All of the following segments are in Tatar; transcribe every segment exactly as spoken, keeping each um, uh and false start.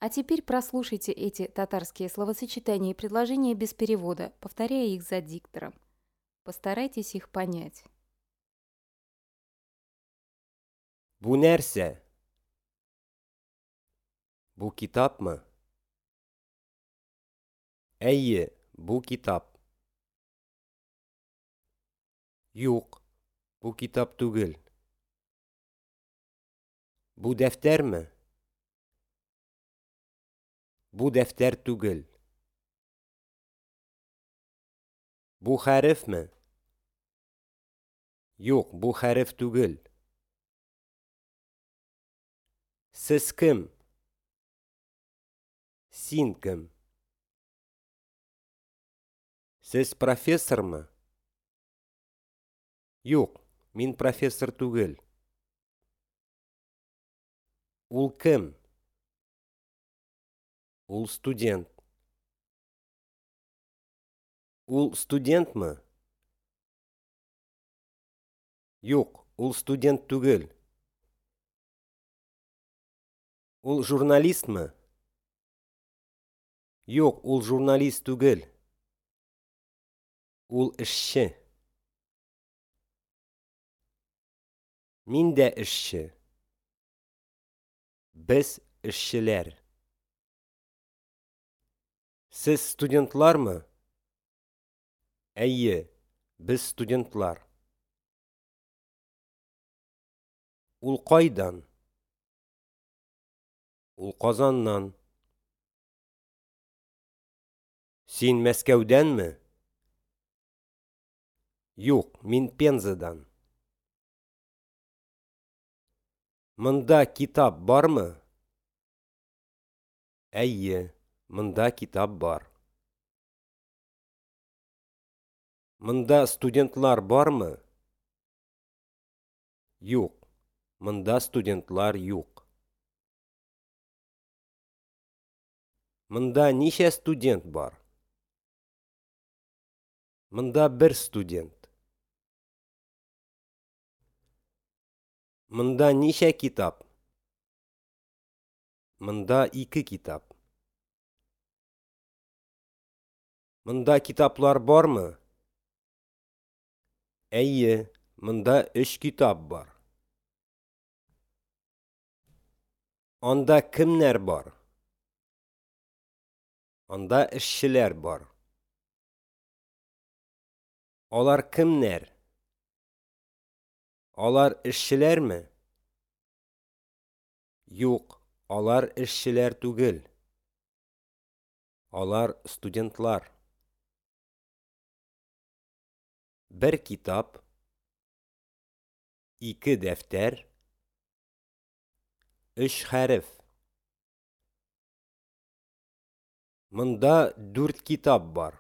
А теперь прослушайте эти татарские словосочетания и предложения без перевода, повторяя их за диктором. Постарайтесь их понять. Бу нәрсә? Бу китапмы? Әйе, бу китап. Юк, бу китап түгел. Бу дәфтәрме? Бу дәфтәр түгел. Бу хәрефме? Юк, бу хәреф түгел. Сез кем? Син кем? Сез профессормы? Юк, мин профессор түгел. Ул кем? Ул студент. Ул студентмы? Юк, ул студент түгел. Ул журналистмы? Юк, ул журналист түгел. Ул эшче. Мин дә эшче. Без эшчеләр. Сез студентлармы? Әйе, без студентлар. Ул кайдан? Ул Казаннан. Син Мәскәүдәнме? Юк, мин Пензадан. Монда китап бармы? Әйе, монда китап бар. Монда студентлар бармы? Юк, монда студентлар юк. Монда ничә студент бар? Монда бер студент. Монда ничә китап? Монда ике китап. Монда китаплар бармы? Әйе, монда өч китап бар. Анда кемнәр бар? Анда эшчеләр бар. Алар кемнәр? Алар эшчеләрме? Юк, алар эшчеләр түгел. Алар студентлар. Бер китап, ике дәфтәр, өч хәреф. Монда дүрт китап бар.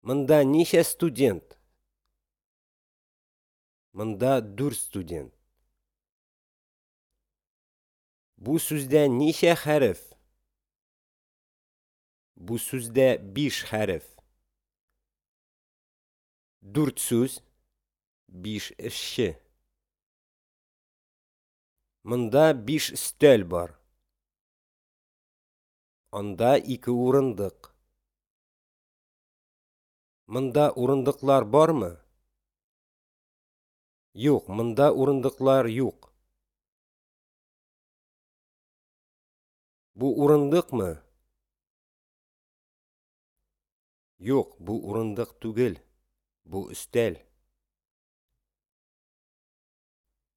Монда ничә студент? Монда дүрт студент. Бу сүздә ничә хәреф? Бу сүздә биш хәреф. Дүрт сүз, биш эшче. Монда биш өстәл бар. Анда ике урындык. Монда урындыклар бармы? Юк, монда урындыклар юк. Бу урындыкмы? Юк, бу урындык түгел. Бу өстәл.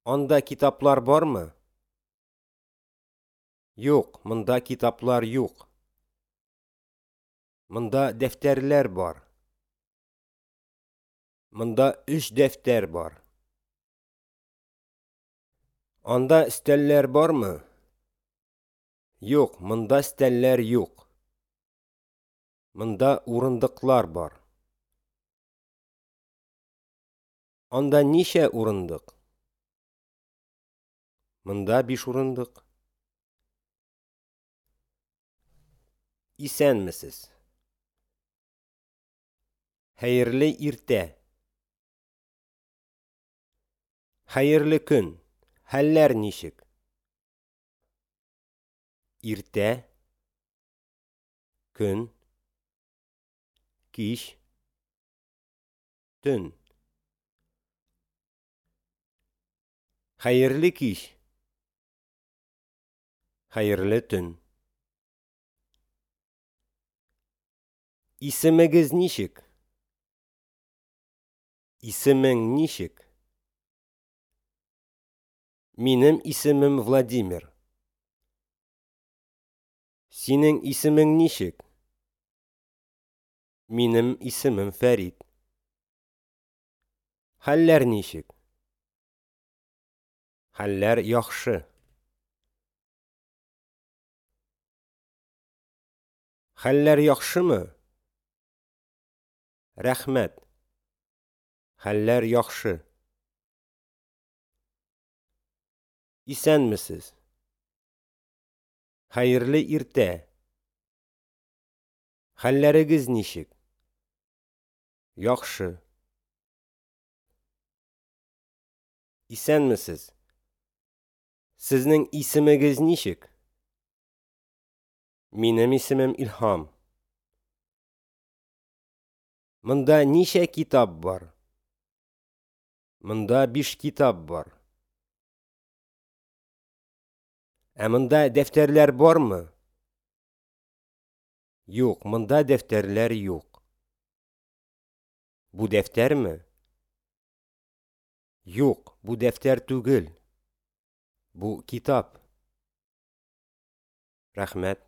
Анда китаплар бармы? Юк, монда китаплар юк. Монда дәфтәрләр бар. Монда өч дәфтәр бар. Анда өстәлләр бармы? Юк, монда өстәлләр юк. Монда урындыклар бар. Анда ничә урындык? Монда биш урындык. Исәнмесез. Хәерле иртә. Хәерле көн. Хәлләр ничек? Иртә, көн, кич, төн. Хәерле кич. Хәерле төн. Исемегез ничек? Исемең ничек? Минем исемем Владимир. Синең исемең ничек? Минем исемем Фәрит. Хәлләр ничек? Хәлләр яхшы. Хәлләр яхшымы? Рәхмәт. Хәлләр яхшы. Исәнмесез. Хәерле иртә. Хәлләрегез ничек? Яхшы. Исәнмесез. Сезнең исемегез ничек? Минем исемем Илһам. Монда ничә китап бар? Монда биш китап бар. Ә монда дәфтәрләр бармы? Юк, монда дәфтәрләр юк. Бу дәфтәрме? Юк, бу дәфтәр түгел. Бу китап. Рәхмәт.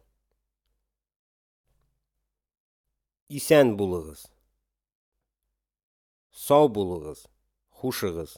Исән булыгыз. Сау булыгыз. Хушыгыз.